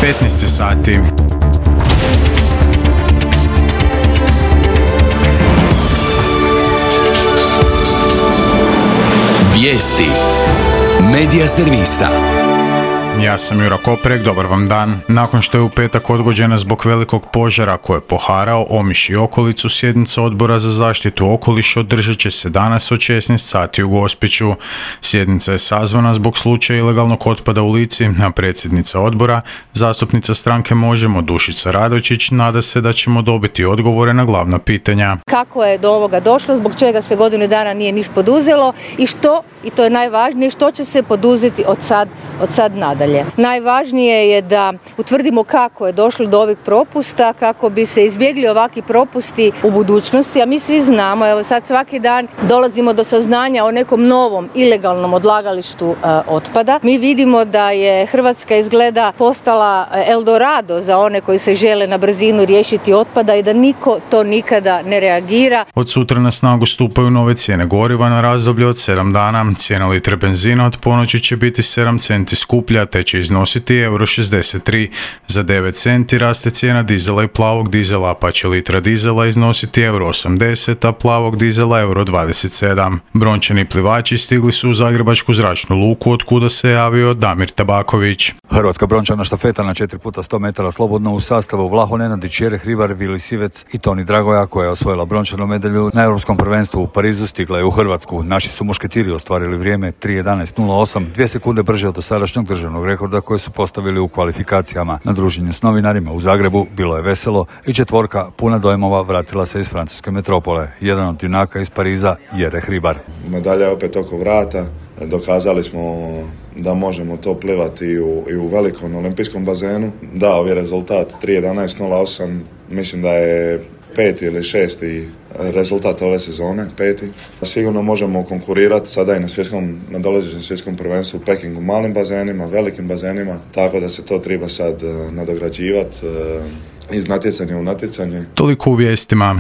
15 sati. Vijesti Medija servisa. Ja sam Jura Koprek, dobar vam dan. Nakon što je u petak odgođena zbog velikog požara koji je poharao Omiš i okolicu, sjednica Odbora za zaštitu okoliša održat će se danas od 16 sati u Gospiću. Sjednica je sazvana zbog slučaja ilegalnog otpada u Lici, a predsjednica odbora, zastupnica stranke Možemo Dušica Radočić, nada se da ćemo dobiti odgovore na glavna pitanja. Kako je do ovoga došlo, zbog čega se godinu dana nije niš poduzelo i što, i to je najvažnije, što će se poduzeti od sad nadalje. Najvažnije je da utvrdimo kako je došlo do ovih propusta, kako bi se izbjegli ovakvi propusti u budućnosti, a mi svi znamo, evo sad svaki dan dolazimo do saznanja o nekom novom ilegalnom odlagalištu otpada. Mi vidimo da je Hrvatska izgleda postala Eldorado za one koji se žele na brzinu riješiti otpada i da niko to nikada ne reagira. Od sutra na snagu stupaju nove cijene goriva na razdoblje od 7 dana. Cijena litre benzina od ponoći će biti 7 centi skuplja, te će iznositi €63. Za 9 centi raste cijena dizela i plavog dizela, pa će litra dizela iznositi €80, a plavog dizela €27. Brončani plivači stigli su u Zagrebačku zračnu luku, od kuda se javio Damir Tabaković. Hrvatska brončana štafeta na 4x100 metara slobodno u sastavu Vlaho Nenadić, Jere Hribar, Vili Sivec i Toni Dragoja, koja je osvojila brončanu medalju na Europskom prvenstvu u Parizu, stigla je u Hrvatsku. Naši su mušketiri ostvarili vrijeme 3:11:08, 2 sekunde brže od dosadašnjeg državnog rekorda koje su postavili u kvalifikacijama. Na druženju s novinarima u Zagrebu bilo je veselo i četvorka puna dojmova vratila se iz francuske metropole. Jedan od junaka iz Pariza, Jere Hribar. Medalja je opet oko vrata. Dokazali smo da možemo to plivati i u velikom olimpijskom bazenu. Da, ovaj rezultat 3:11:08 mislim da je 5. ili 6. rezultat ove sezone, 5. Sigurno možemo konkurirati sada i na dolazećem svjetskom prvenstvu u Pekingu, malim bazenima, velikim bazenima, tako da se to treba sad nadograđivati iz natjecanja u natjecanje. Toliko u vijestima.